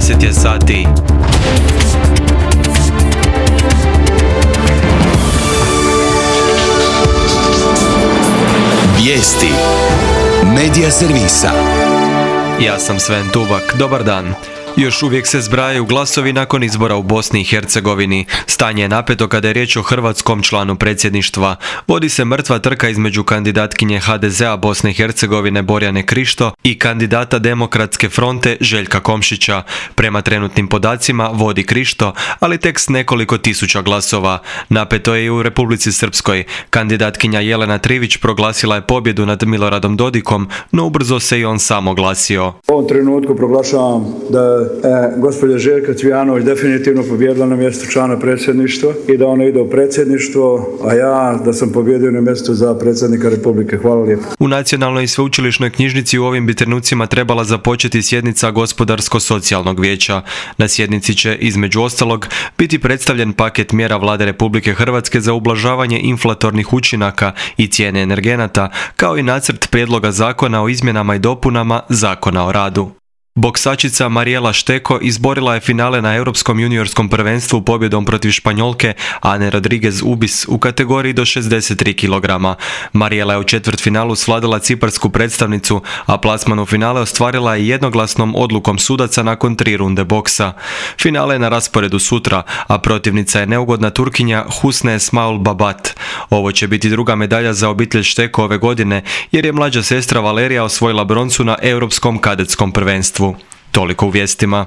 10 je sati. Vijesti Medija servisa. Ja sam Sven Tubak, dobar dan. Još uvijek se zbrajaju glasovi nakon izbora u Bosni i Hercegovini. Stanje je napeto kada je riječ o hrvatskom članu predsjedništva. Vodi se mrtva trka između kandidatkinje HDZ-a Bosne i Hercegovine Borjane Krišto i kandidata Demokratske fronte Željka Komšića. Prema trenutnim podacima vodi Krišto, ali tek s nekoliko tisuća glasova. Napeto je i u Republici Srpskoj. Kandidatkinja Jelena Trivić proglasila je pobjedu nad Miloradom Dodikom, no ubrzo se i on sam oglasio. U ovom trenutku proglašavam da gospođa Željka Cvijanović definitivno pobjedila na mjestu člana predsjedništva i da ona ide u predsjedništvo, a ja da sam pobjedio na mjestu za predsjednika Republike. Hvala lijepo. U Nacionalnoj i sveučilišnoj knjižnici u ovim bi trenucima trebala započeti sjednica Gospodarsko-socijalnog vijeća. Na sjednici će, između ostalog, biti predstavljen paket mjera Vlade Republike Hrvatske za ublažavanje inflatornih učinaka i cijene energenata, kao i nacrt prijedloga zakona o izmjenama i dopunama Zakona o radu. Boksačica Mariela Šteko izborila je finale na Europskom juniorskom prvenstvu pobjedom protiv Španjolke Ane Rodriguez Ubis u kategoriji do 63 kg. Mariela je u četvrtfinalu svladala ciparsku predstavnicu, a plasman u finale ostvarila je jednoglasnom odlukom sudaca nakon 3 runde boksa. Finale je na rasporedu sutra, a protivnica je neugodna Turkinja Husne Esmaul Babat. Ovo će biti druga medalja za obitelj Šteko ove godine, jer je mlađa sestra Valerija osvojila broncu na Europskom kadetskom prvenstvu. Toliko u vijestima.